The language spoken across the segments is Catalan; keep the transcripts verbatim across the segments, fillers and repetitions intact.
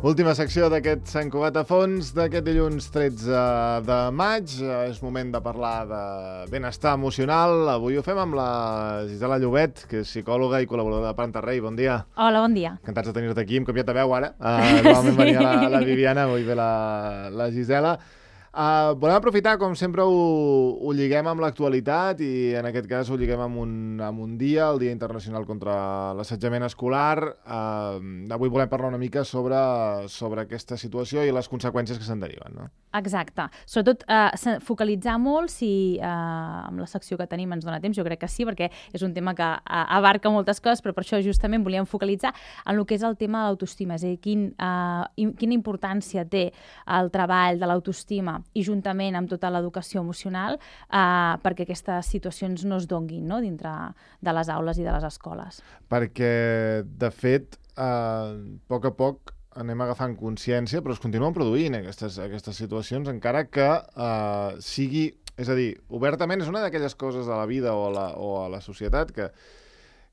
Última secció d'aquest Sant Cugat a fons d'aquest dilluns tretze de maig. És moment de parlar de benestar emocional. Avui ho fem amb la Gisela Llobet, que és psicòloga i col·laboradora de Planta Rei. Bon dia. Hola, bon dia. Encantats de tenir-te aquí. Hem canviat de veu ara. Uh, normalment sí. Venia la, la Viviana, avui ve la, la Gisela. Uh, volem aprofitar, com sempre ho, ho lliguem amb l'actualitat i en aquest cas ho lliguem amb un, amb un dia, el Dia Internacional contra l'Assetjament Escolar. Uh, avui volem parlar una mica sobre, sobre aquesta situació i les conseqüències que se'n deriven, no? Exacte. Sobretot uh, focalitzar molt, si uh, amb la secció que tenim ens dona temps, jo crec que sí, perquè és un tema que uh, abarca moltes coses, però per això justament volíem focalitzar en el que és el tema de l'autoestima, és a dir, quin, uh, quina importància té el treball de l'autoestima i juntament amb tota l'educació emocional eh, perquè aquestes situacions no es donguin, no?, dintre de les aules i de les escoles. Perquè, de fet, eh, a poc a poc anem agafant consciència, però es continuen produint aquestes, aquestes situacions, encara que eh, sigui... És a dir, obertament és una d'aquelles coses de la vida o a la, o a la societat que,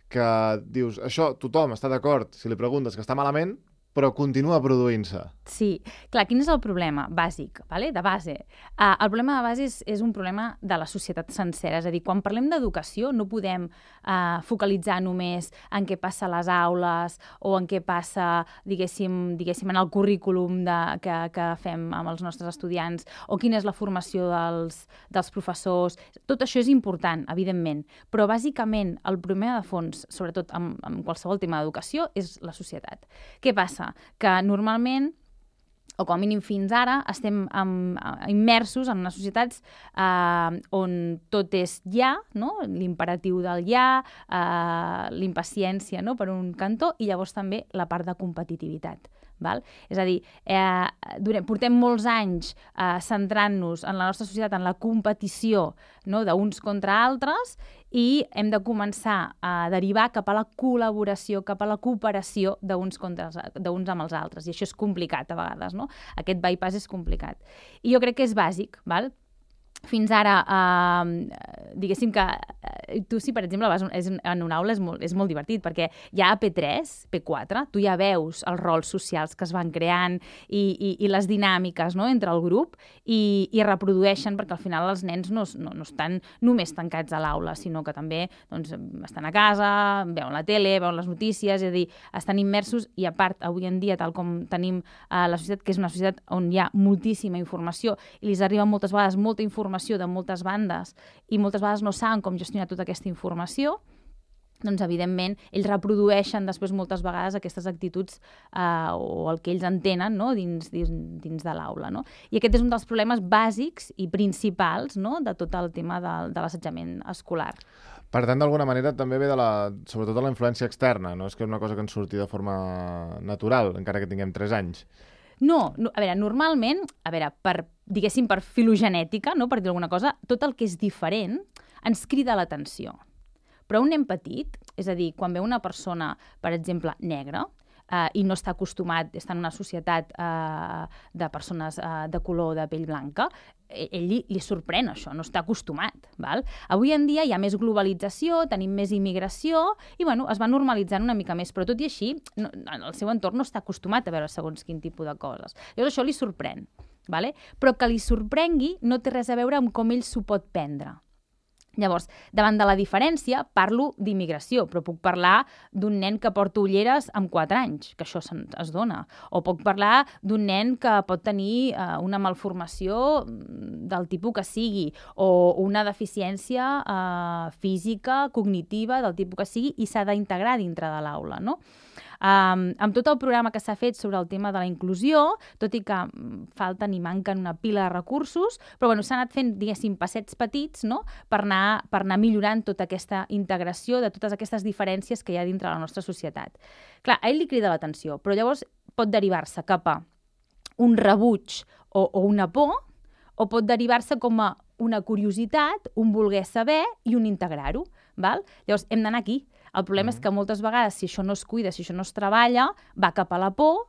que dius, això tothom està d'acord si li preguntes que està malament, però continua produint-se. Sí. Clar, quin és el problema bàsic, vale? De base? Uh, el problema de base és, és un problema de la societat sencera. És a dir, quan parlem d'educació no podem uh, focalitzar només en què passa a les aules o en què passa, diguéssim, diguéssim en el currículum de, que, que fem amb els nostres estudiants o quina és la formació dels, dels professors. Tot això és important, evidentment, però bàsicament el problema de fons, sobretot amb, amb qualsevol tema d'educació, és la societat. Què passa? Que normalment, o com a mínim fins ara, estem amb, immersos en unes societats eh, on tot és ja, no? L'imperatiu del ja, eh, l'impaciència, no?, per un cantó, i llavors també la part de competitivitat. Val? És a dir, eh, durant, portem molts anys eh, centrant-nos en la nostra societat, en la competició, no?, d'uns contra altres, i hem de començar a derivar cap a la col·laboració, cap a la cooperació d'uns contra d'uns amb els altres. I això és complicat a vegades, no? Aquest bypass és complicat. I jo crec que és bàsic, val? Fins ara, eh, diguéssim que eh, tu, si per exemple vas és, en una aula, és molt, és molt divertit, perquè ja a P tres, P quatre, tu ja veus els rols socials que es van creant i, i, i les dinàmiques, no?, entre el grup i, i reprodueixen, perquè al final els nens no, no, no estan només tancats a l'aula, sinó que també doncs, estan a casa, veuen la tele, veuen les notícies, és a dir, estan immersos i a part, avui en dia, tal com tenim eh, la societat, que és una societat on hi ha moltíssima informació i els arriba moltes vegades molta informació de moltes bandes i moltes vegades no saben com gestionar tota aquesta informació, doncs, evidentment, ells reprodueixen després moltes vegades aquestes actituds eh, o el que ells entenen, no?, dins, dins, dins de l'aula, no? I aquest és un dels problemes bàsics i principals, no?, de tot el tema de, de l'assetjament escolar. Per tant, d'alguna manera, també ve de la, sobretot de la influència externa, no és que és una cosa que ens surti de forma natural, encara que tinguem tres anys. No, no, a veure, normalment, a veure, per, diguéssim, per filogenètica, no, per dir alguna cosa, tot el que és diferent ens crida l'atenció. Però un nen petit, és a dir, quan ve una persona, per exemple, negra, eh, i no està acostumat, està en una societat eh, de persones eh, de color de pell blanca, ell li, li sorprèn això, no està acostumat. Val? Avui en dia hi ha més globalització, tenim més immigració i bueno, es va normalitzant una mica més, però tot i així no, el seu entorn no està acostumat a veure segons quin tipus de coses. Llavors això li sorprèn, vale? Però que li sorprengui no té res a veure amb com ell s'ho pot prendre. Llavors, davant de la diferència, parlo d'immigració, però puc parlar d'un nen que porta ulleres amb quatre anys, que això es dona. O puc parlar d'un nen que pot tenir eh, una malformació del tipus que sigui, o una deficiència eh, física, cognitiva, del tipus que sigui, i s'ha d'integrar dintre de l'aula, no? Um, amb tot el programa que s'ha fet sobre el tema de la inclusió, tot i que falten i manquen una pila de recursos, però bueno, s'ha anat fent, diguéssim, passets petits, no?, per anar, per anar millorant tota aquesta integració de totes aquestes diferències que hi ha dintre la nostra societat. Clar, a ell li crida l'atenció, però llavors pot derivar-se cap a un rebuig o, o una por, o pot derivar-se com a una curiositat, un voler saber i un integrar-ho. Val? Llavors, hem d'anar aquí. El problema mm. és que moltes vegades, si això no es cuida, si això no es treballa, va cap a la por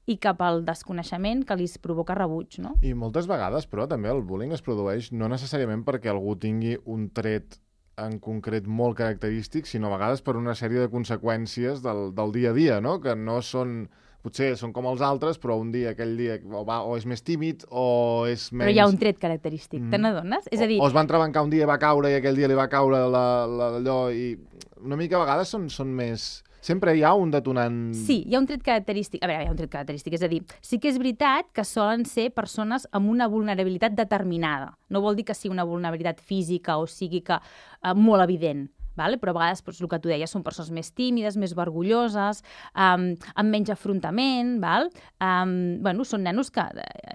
i cap al desconeixement que li provoca rebuig, no? I moltes vegades, però, també el bullying es produeix no necessàriament perquè algú tingui un tret en concret molt característic, sinó a vegades per una sèrie de conseqüències del, del dia a dia, no?, que no són potser són com els altres, però un dia, aquell dia, o, va, o és més tímid, o és menys... Però hi ha un tret característic, mm. te n'adones? És a dir... O, o es van trebancar un dia i va caure, i aquell dia li va caure la, la, allò, i una mica a vegades són, són més... Sempre hi ha un detonant... Sí, hi ha un tret característic. A veure, hi ha un tret característic. És a dir, sí que és veritat que solen ser persones amb una vulnerabilitat determinada. No vol dir que sigui una vulnerabilitat física o sigui que eh, molt evident. Vale? Però a vegades, doncs, el que tu deies, són persones més tímides, més vergonyoses, um, amb menys afrontament, val? Um, bueno, són nenos que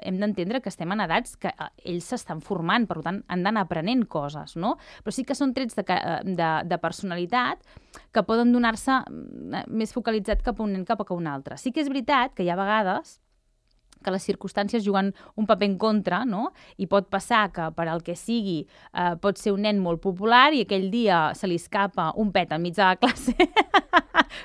hem d'entendre que estem en edats que uh, ells s'estan formant, per tant, han d'anar aprenent coses, no? Però sí que són trets de, de, de personalitat que poden donar-se més focalitzat cap a un nen cap a un altre. Sí que és veritat que hi ha vegades que les circumstàncies juguen un paper en contra, no? I pot passar que, per al que sigui, eh, pot ser un nen molt popular i aquell dia se li escapa un pet enmig de la classe,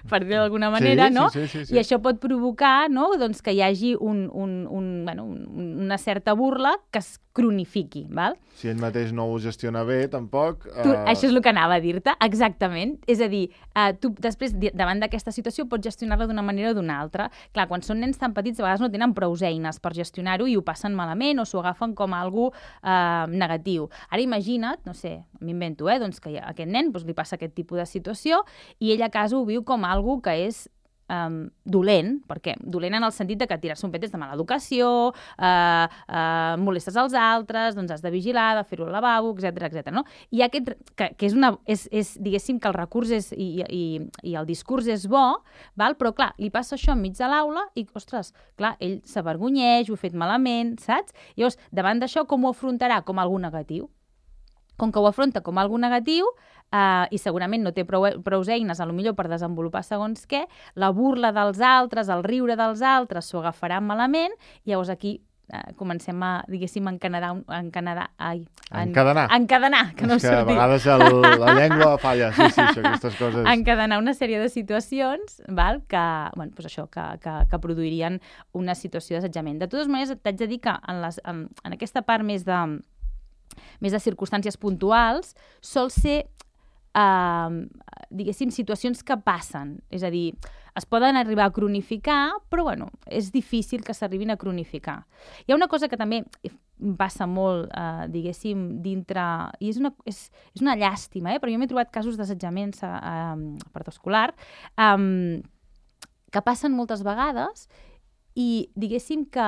per dir d'alguna manera, sí, no? Sí, sí, sí, sí. I això pot provocar, no?, doncs, que hi hagi un, un, un, bueno, un, una certa burla que es cronifiqui, val? Si ell mateix no ho gestiona bé, tampoc... Tu, uh... Això és el que anava a dir-te, exactament. És a dir, uh, tu després, davant d'aquesta situació, pots gestionar-la d'una manera o d'una altra. Clar, quan són nens tan petits, a vegades no tenen prou eines per gestionar-ho i ho passen malament o s'ho agafen com a algo uh, negatiu. Ara imagina't, no sé, m'invento, eh, doncs que a aquest nen doncs, li passa aquest tipus de situació i ell a casa ho viu com algo que és Um, dolent, perquè dolent en el sentit de que tirar-se un pet és de mala educació, uh, uh, molestes als altres, doncs has de vigilar, de fer-ho al lavabo, etcètera, etcètera, no? I aquest, que, que és una, és, és, diguéssim que el recurs és, i, i, i el discurs és bo, val? Però clar, li passa això enmig de l'aula i, ostres, clar, ell s'avergonyeix, ho ha fet malament, saps? Llavors, davant d'això, com ho afrontarà? Com algú negatiu. Com que ho afronta com algo negatiu eh, i segurament no té prou, prou eines a lo millor per desenvolupar segons què, la burla dels altres, el riure dels altres s'ho agafarà malament i llavors aquí eh, comencem a, diguéssim, encanadar, encanadar, ai, en, encadenar. Encadenar, que no és que a vegades el, la llengua falla, sí, sí, això, aquestes coses. Encadenar una sèrie de situacions, val, que, bueno, doncs això, que, que, que produirien una situació d'assetjament. De totes maneres, t'haig de dir que en, les, en, en aquesta part més de més de circumstàncies puntuals, sol ser, eh, diguéssim, situacions que passen. És a dir, es poden arribar a cronificar, però, bueno, és difícil que s'arribin a cronificar. Hi ha una cosa que també passa molt, eh, diguéssim, dintre... I és una, és, és una llàstima, eh? Però jo m'he trobat casos d'assetjament eh, escolar eh, que passen moltes vegades i diguéssim que,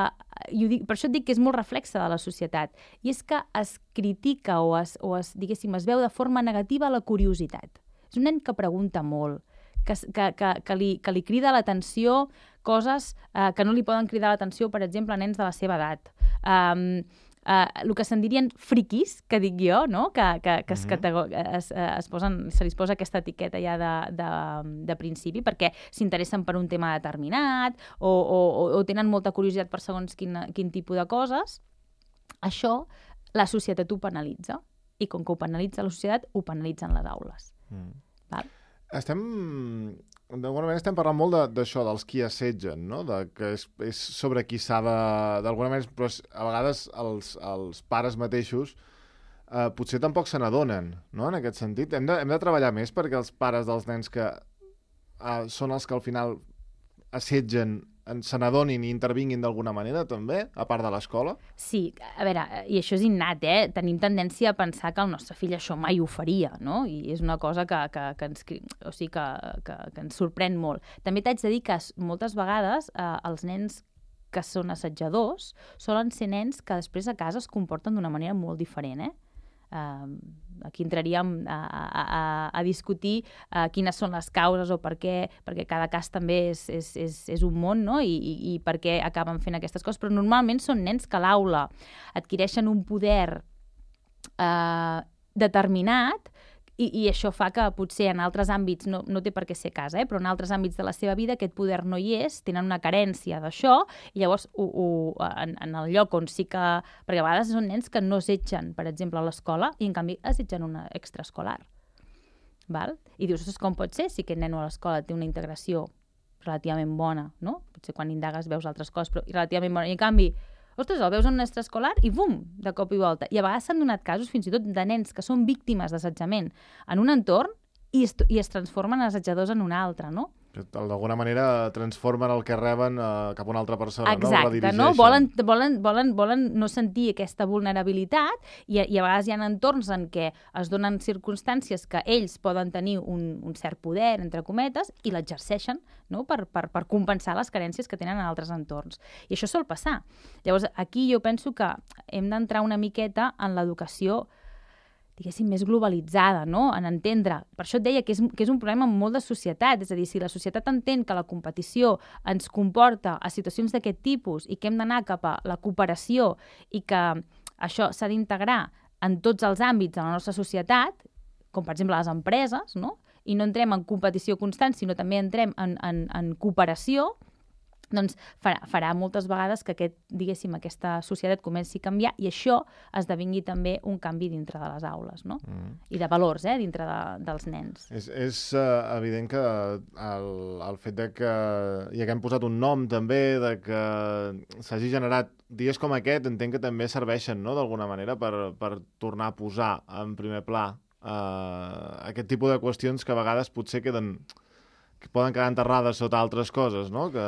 i ho dic, per això et dic que és molt reflexe de la societat, i és que es critica o, es, o es, diguéssim, es veu de forma negativa la curiositat. És un nen que pregunta molt, que, que, que, que, li, que li crida l'atenció coses eh, que no li poden cridar l'atenció, per exemple, a nens de la seva edat. Um, Uh, el que se'n dirien friquis, que dic jo, no? que, que, que es, mm-hmm. es, es posen, se li posa aquesta etiqueta ja de, de, de principi, perquè s'interessen per un tema determinat o, o, o tenen molta curiositat per segons quin, quin tipus de coses. Això la societat ho penalitza, i com que ho penalitza la societat, ho penalitzen les aules. Mm. Val? Estem... D'alguna manera estem parlant molt d'això, de, dels qui assetgen, no? De, que és, és sobre qui s'ha de... D'alguna manera, però a vegades els, els pares mateixos eh, potser tampoc se n'adonen, no? En aquest sentit. Hem de, hem de treballar més perquè els pares dels nens que eh, són els que al final assetgen se n'adonin i intervinguin d'alguna manera, també, a part de l'escola? Sí, a veure, i això és innat, eh? Tenim tendència a pensar que el nostre fill això mai ho faria, no? I és una cosa que, que, que, ens, o sigui, que, que, que ens sorprèn molt. També t'haig de dir que moltes vegades eh, els nens que són assetjadors solen ser nens que després a casa es comporten d'una manera molt diferent, eh? Uh, aquí entraríem a, a, a, a discutir uh, quines són les causes o per què, perquè cada cas també és, és, és, és un món, no? I, i, i per què acaben fent aquestes coses, però normalment són nens que a l'aula adquireixen un poder uh, determinat i, i això fa que potser en altres àmbits, no, no té per què ser casa, eh? Però en altres àmbits de la seva vida aquest poder no hi és, tenen una carència d'això i llavors ho, ho, en, en el lloc on sí que... Perquè a vegades són nens que no assetgen, per exemple, a l'escola i en canvi assetgen una extraescolar. Val? I dius, com pot ser si aquest nen a l'escola té una integració relativament bona, no? Potser quan indagues veus altres coses, però relativament bona. I en canvi, ostres, el veus en un extraescolar i bum, de cop i volta. I a vegades s'han donat casos fins i tot de nens que són víctimes d'assetjament en un entorn i es, i es transformen en assetjadors en un altre, no? Que d'alguna manera transformen el que reben uh, cap a una altra persona, Exacte, no? no? Volen, volen, volen, volen no sentir aquesta vulnerabilitat i, i a vegades hi ha entorns en què es donen circumstàncies que ells poden tenir un, un cert poder, entre cometes, i l'exerceixen, no? per, per, per compensar les carències que tenen en altres entorns. I això sol passar. Llavors, aquí jo penso que hem d'entrar una miqueta en l'educació diguéssim, més globalitzada, no? En entendre. Per això et deia que és, que és un problema molt de societat, és a dir, si la societat entén que la competició ens comporta a situacions d'aquest tipus i que hem d'anar cap a la cooperació i que això s'ha d'integrar en tots els àmbits de la nostra societat, com per exemple les empreses, no? I no entrem en competició constant, sinó també entrem en, en, en cooperació, doncs farà, farà moltes vegades que aquest, diguéssim, aquesta societat comenci a canviar i això esdevingui també un canvi dintre de les aules, no? Mm. I de valors, eh, dintre de, dels nens. És, és uh, evident que el, el fet de que hi haguem posat un nom també, de que s'hagi generat dies com aquest, entenc que també serveixen, no?, d'alguna manera per, per tornar a posar en primer pla uh, aquest tipus de qüestions que a vegades potser queden... que poden quedar enterrades sota altres coses, no? Que,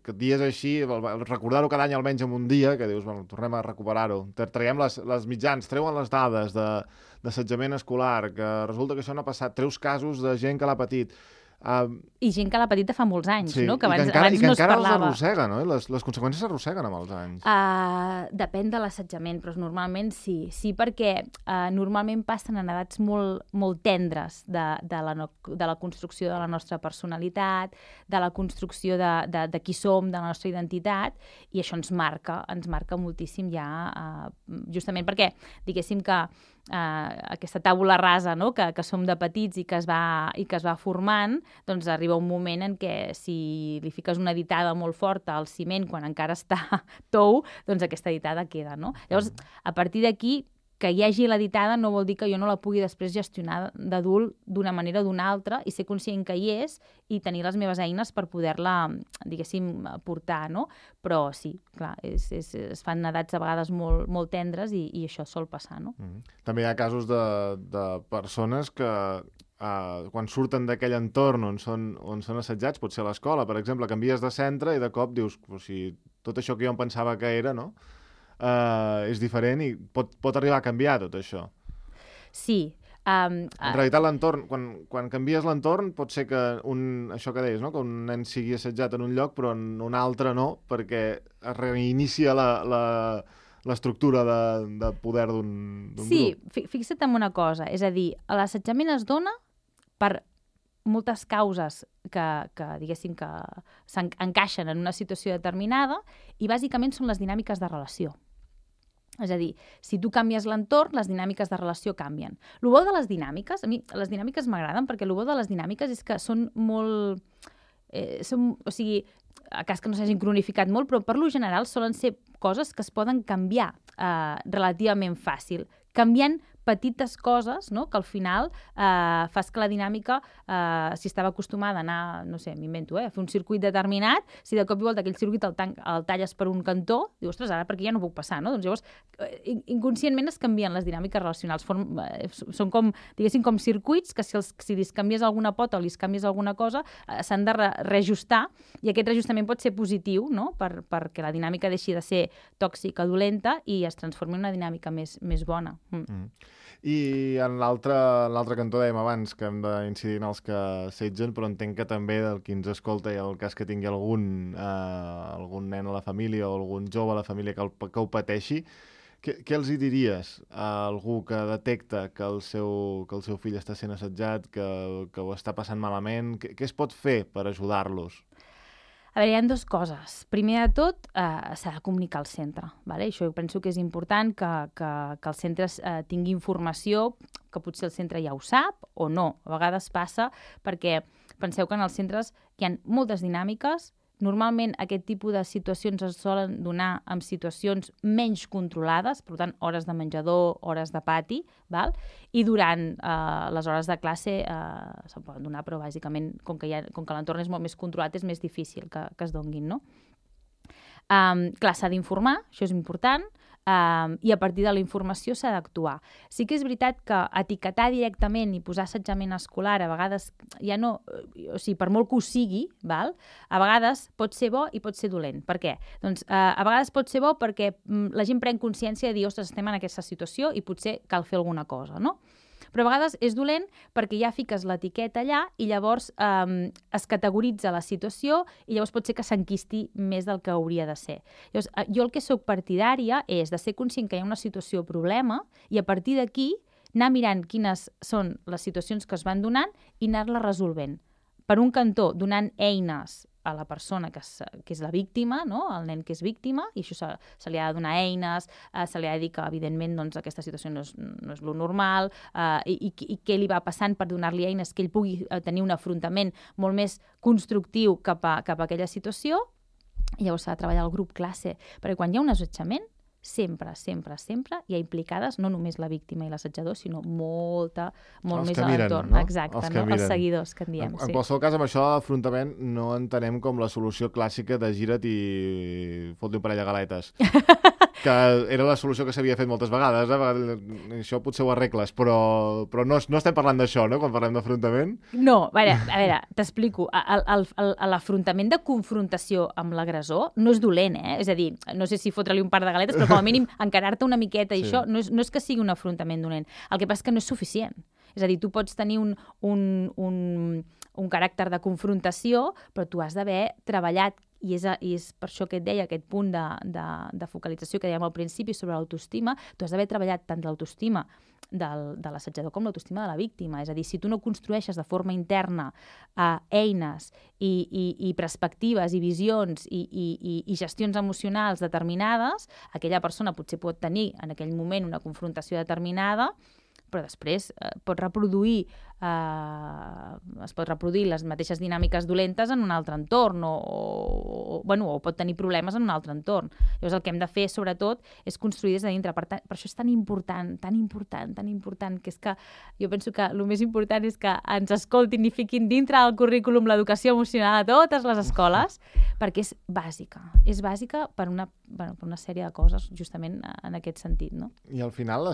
que dies així, recordar-ho cada any almenys en un dia, que dius, bueno, tornem a recuperar-ho. Traiem les, les mitjans, treuen les dades d'assetjament escolar, que resulta que això no ha passat, treus casos de gent que l'ha patit. Uh, I gent que l'ha patit de fa molts anys, sí, no? Que abans, i que encara, abans i que no es encara parlava. els arrossega, no? Les, les conseqüències s'arrosseguen amb els anys. Uh, depèn de l'assetjament, però normalment sí. Sí, perquè uh, normalment passen en edats molt, molt tendres de, de, la no, de la construcció de la nostra personalitat, de la construcció de, de, de qui som, de la nostra identitat, i això ens marca, ens marca moltíssim ja, uh, justament perquè, diguéssim que Uh, aquesta tàbula rasa, no?, que, que som de petits i que, es va, i que es va formant, doncs arriba un moment en què si li fiques una ditada molt forta al ciment quan encara està tou, doncs aquesta ditada queda, no? Llavors, a partir d'aquí, que hi hagi la ditada no vol dir que jo no la pugui després gestionar d'adult d'una manera o d'una altra i ser conscient que hi és i tenir les meves eines per poder-la, diguéssim, portar, no? Però sí, clar, és, és, es fan edats a vegades molt, molt tendres i, i això sol passar, no? Mm. També hi ha casos de, de persones que uh, quan surten d'aquell entorn on són, on són assetjats, pot ser a l'escola, per exemple, canvies de centre i de cop dius, o sigui, tot això que jo em pensava que era, no?, Uh, és diferent i pot, pot arribar a canviar tot això. Sí. Um, en realitat l'entorn, quan, quan canvies l'entorn pot ser que un, això que deies, no? Que un nen sigui assetjat en un lloc però en un altre no, perquè es reinicia la, la, l'estructura de, de poder d'un grup. Sí, fixa't en una cosa, és a dir, l'assetjament es dona per moltes causes que, que diguéssim, que s'encaixen en una situació determinada i bàsicament són les dinàmiques de relació. És a dir, si tu canvies l'entorn, les dinàmiques de relació canvien. El bo de les dinàmiques, a mi les dinàmiques m'agraden perquè el bo de les dinàmiques és que són molt... Eh, són, o sigui, a cas que no s'hagin cronificat molt, però per lo general solen ser coses que es poden canviar eh, relativament fàcil, canviant petites coses, no?, que al final eh, fas que la dinàmica, eh, si estava acostumada a anar, no sé, m'invento, eh, a fer un circuit determinat, si de cop i volta aquell circuit el, tan el talles per un cantó, dius, ostres, ara per aquí ja no puc passar, no? Doncs llavors, eh, inconscientment es canvien les dinàmiques relacionals. Form, eh, són com, diguéssim, com circuits que si, els, si li canvies alguna pota o li canvies alguna cosa, eh, s'han de re reajustar i aquest reajustament pot ser positiu, no?, per, perquè la dinàmica deixi de ser tòxica, dolenta i es transformi en una dinàmica més, més bona. Mm. Mm. I en l'altre cantó dèiem abans que hem d'incidir en els que assetgen, però entenc que també del qui ens escolta i el cas que tingui algun, eh, algun nen a la família o algun jove a la família que, el, que ho pateixi, què, què els hi diries a algú que detecta que el seu, que el seu fill està sent assetjat, que, que ho està passant malament? Què, què es pot fer per ajudar-los? A veure, hi ha dues coses. Primer de tot, eh, s'ha de comunicar al centre. Vale? Això jo penso que és important que, que, que el centre eh, tingui informació, que potser el centre ja ho sap o no. A vegades passa perquè penseu que en els centres hi ha moltes dinàmiques. Normalment aquest tipus de situacions es solen donar en situacions menys controlades, per tant, hores de menjador, hores de pati, val? I durant eh, les hores de classe eh, se'n poden donar, però bàsicament, com que, ha, com que l'entorn és molt més controlat, és més difícil que, que es donguin, no? Um, clar, s'ha d'informar, això és important. um, i a partir de la informació s'ha d'actuar. Sí que és veritat que etiquetar directament i posar assetjament escolar a vegades ja no... O sigui, per molt que ho sigui, val? A vegades pot ser bo i pot ser dolent. Per què? Doncs uh, a vegades pot ser bo perquè mm, la gent pren consciència de dir, ostres, estem en aquesta situació i potser cal fer alguna cosa, no? Però a vegades és dolent perquè ja fiques l'etiqueta allà i llavors eh, es categoritza la situació i llavors pot ser que s'enquisti més del que hauria de ser. Llavors, jo el que sóc partidària és de ser conscient que hi ha una situació problema i a partir d'aquí anar mirant quines són les situacions que es van donant i anar-la resolvent. Per un cantó, donant eines a la persona que és, que és la víctima, no? El nen que és víctima, i això se, se li ha de donar eines, eh, se li ha de dir que, evidentment, doncs, aquesta situació no és, no és lo normal, eh, i, i, i què li va passant per donar-li eines que ell pugui tenir un afrontament molt més constructiu cap a, cap a aquella situació, i llavors s'ha de treballar el grup classe, perquè quan hi ha un assetjament, sempre, sempre, sempre hi ha implicades no només la víctima i l'assetjador, sinó molta, molt els més a l'entorn. No? Exacte, els, no? els seguidors que en diem. En, en sí. qualsevol cas, amb això de l'afrontament no entenem com la solució clàssica de gira't i fot-li un parell de galetes. Que era la solució que s'havia fet moltes vegades, eh? Això potser ho arregles, però, però no, no estem parlant d'això, no?, quan parlem d'afrontament. No, a veure, a veure t'explico. L'afrontament de confrontació amb l'agressor no és dolent, eh? És a dir, no sé si fotre-li un par de galetes, però com a mínim encarar-te una miqueta i sí. Això no és, no és que sigui un afrontament dolent. El que passa és que no és suficient. És a dir, tu pots tenir un, un, un, un caràcter de confrontació, però tu has d'haver treballat. I és, I és per això que et deia, aquest punt de, de, de focalització que dèiem al principi sobre l'autoestima, tu has d'haver treballat tant l'autoestima del, de l'assetjador com l'autoestima de la víctima. És a dir, si tu no construeixes de forma interna eh, eines i, i, i perspectives i visions i, i, i, i gestions emocionals determinades, aquella persona potser pot tenir en aquell moment una confrontació determinada, però després eh, pot reproduir eh, es pot reproduir les mateixes dinàmiques dolentes en un altre entorn o, o, bueno, o pot tenir problemes en un altre entorn. Llavors el que hem de fer, sobretot, és construir des de dintre. Per, tant, per això és tan important, tan important, tan important, que és que jo penso que el més important és que ens escoltin i fiquin dintre del currículum l'educació emocional a totes les escoles, perquè és bàsica. És bàsica per una, bueno, per una sèrie de coses, justament en aquest sentit, no? I al final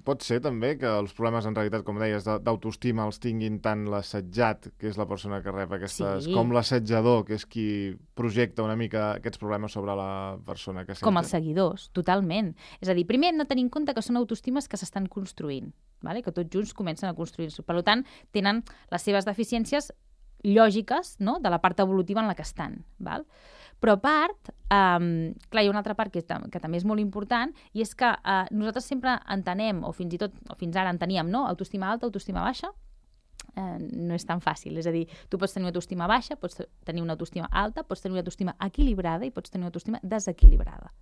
pot ser també que els problemes, en realitat, com deies, d'autoestima els tinguin tant l'assetjat, que és la persona que rep aquestes, sí. com l'assetjador, que és qui projecta una mica aquests problemes sobre la persona que assetja. Com els seguidors, totalment. És a dir, primer hem de tenir en compte que són autoestimes que s'estan construint, vale? Que tots junts comencen a construir-se. Per tant, tenen les seves deficiències lògiques, no?, de la part evolutiva en la que estan, val? Però a part, um, clar, hi ha una altra part que, que també és molt important, i és que uh, nosaltres sempre entenem, o fins i tot, o fins ara enteníem, no?, autoestima alta, autoestima baixa, uh, no és tan fàcil. És a dir, tu pots tenir una autoestima baixa, pots tenir una autoestima alta, pots tenir una autoestima equilibrada i pots tenir una autoestima desequilibrada.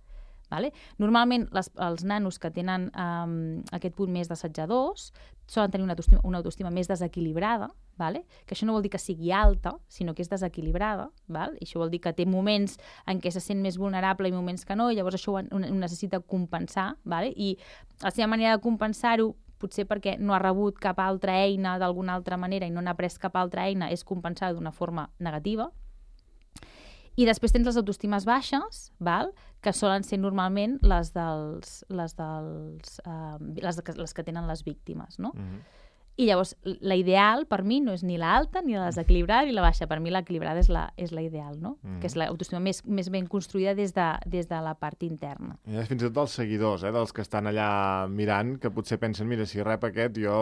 Vale? Normalment les, els nanos que tenen um, aquest punt més d'assetjadors solen tenir una autoestima, una autoestima més desequilibrada, vale? Que això no vol dir que sigui alta, sinó que és desequilibrada, val? I això vol dir que té moments en què se sent més vulnerable i moments que no, i llavors això ho, ho necessita compensar, vale? I la seva manera de compensar-ho, potser perquè no ha rebut cap altra eina d'alguna altra manera i no n'ha pres cap altra eina, és compensar d'una forma negativa. I després tens les autoestimes baixes, val? Que solen ser normalment les dels, les dels, uh, les, de, les que tenen les víctimes, no? Mm-hmm. I llavors, la ideal per mi no és ni la alta, ni la desequilibrada, ni la baixa. Per mi l'equilibrada és la, és la ideal, no? Mm. Que és l'autoestima més, més ben construïda des de, des de la part interna. I fins i tot dels seguidors, eh? Dels que estan allà mirant, que potser pensen, mira, si rep aquest, jo...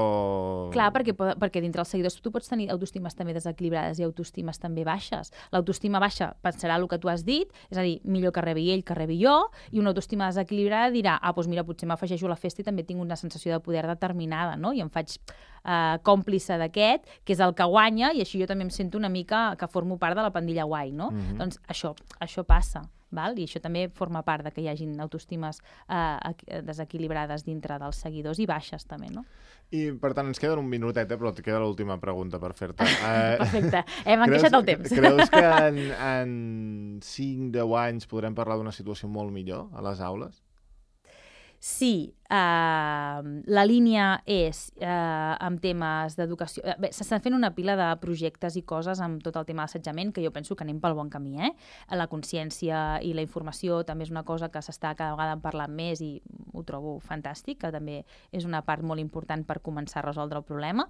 Clar, perquè, perquè dintre els seguidors tu pots tenir autoestimes també desequilibrades i autoestimes també baixes. L'autoestima baixa pensarà el que tu has dit, és a dir, millor que rebi ell que rebi jo, i una autoestima desequilibrada dirà, ah, doncs mira, potser m'afegeixo a la festa i també tinc una sensació de poder determinada, no? I em faig Uh, còmplice d'aquest, que és el que guanya, i així jo també em sento una mica que formo part de la pandilla guai, no? Mm-hmm. Doncs això, això passa, val? I això també forma part de que hi hagin autoestimes uh, desequilibrades dintre dels seguidors i baixes també, no? I, per tant, ens queda un minutet, eh? Però et queda l'última pregunta per fer-te. Uh, Perfecte, hem encaixat el temps. Creus que en, en cinc deu anys podrem parlar d'una situació molt millor a les aules? si eh, la línia és eh, amb temes d'educació... Bé, s'estan fent una pila de projectes i coses amb tot el tema d'assetjament que jo penso que anem pel bon camí, eh? La consciència i la informació també és una cosa que s'està cada vegada parlant més i ho trobo fantàstic, que també és una part molt important per començar a resoldre el problema.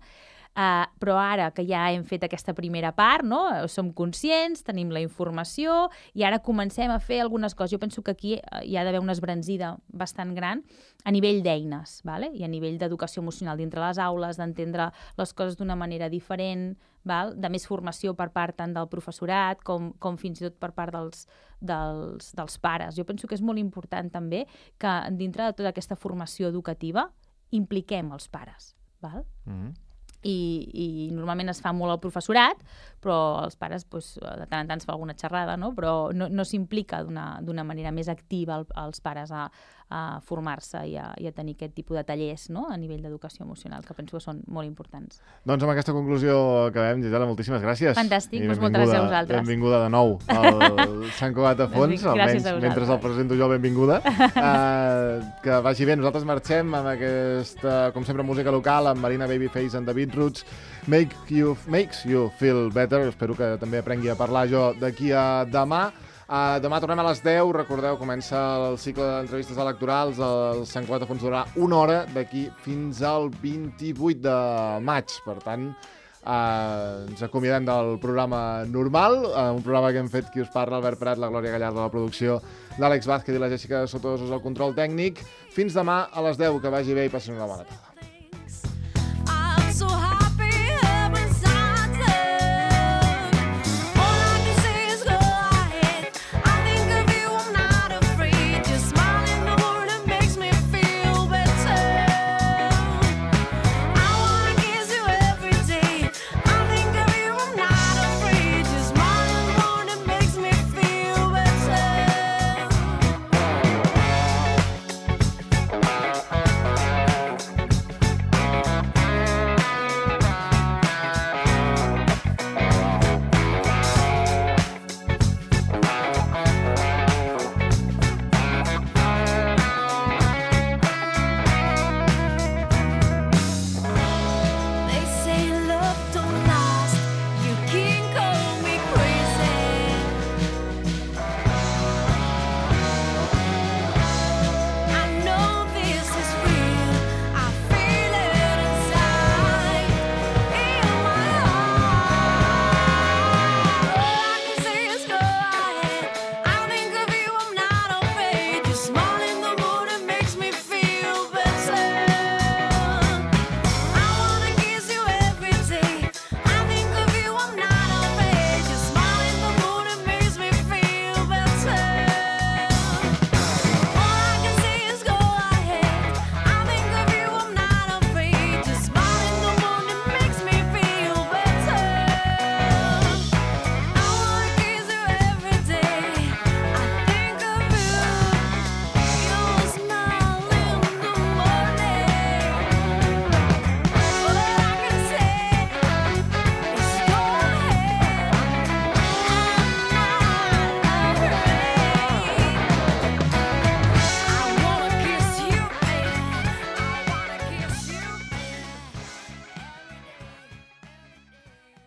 Uh, però ara que ja hem fet aquesta primera part, no? Som conscients, tenim la informació i ara comencem a fer algunes coses. Jo penso que aquí hi ha d'haver una esbranzida bastant gran a nivell d'eines, vale? I a nivell d'educació emocional dintre les aules, d'entendre les coses d'una manera diferent, val? De més formació per part tant del professorat com, com fins i tot per part dels, dels, dels pares. Jo penso que és molt important també que dintre de tota aquesta formació educativa impliquem els pares, val? Mm-hmm. I, i normalment es fa molt al professorat, però els pares doncs, de tant en tant es fa alguna xerrada, no? Però no, no s'implica d'una manera més activa el, els pares a, a formar-se i, i a tenir aquest tipus de tallers, no? A nivell d'educació emocional, que penso que són molt importants. Doncs amb aquesta conclusió acabem, Gisela, moltíssimes gràcies. Fantàstic, doncs moltes gràcies a vosaltres. Benvinguda de nou al Sant Cugat a Fons, almenys mentre el presento jo, benvinguda. Uh, que vagi bé, nosaltres marxem amb aquesta, com sempre, música local, amb Marina Babyface and David Roots, Make you, Makes You Feel Better. Espero que també aprengui a parlar jo d'aquí a demà. Uh, demà tornem a les deu. Recordeu, comença el cicle d'entrevistes electorals. El Sant Cugat a Fons durarà una hora d'aquí fins al vint-i-vuit de maig. Per tant, uh, ens acomiadem del programa normal, uh, un programa que hem fet qui us parla, Albert Prat, la Glòria Gallardo, la producció, l'Àlex Vázquez i la Jessica Sotosos al control tècnic. Fins demà a les deu. Que vagi bé i passin una bona tarda.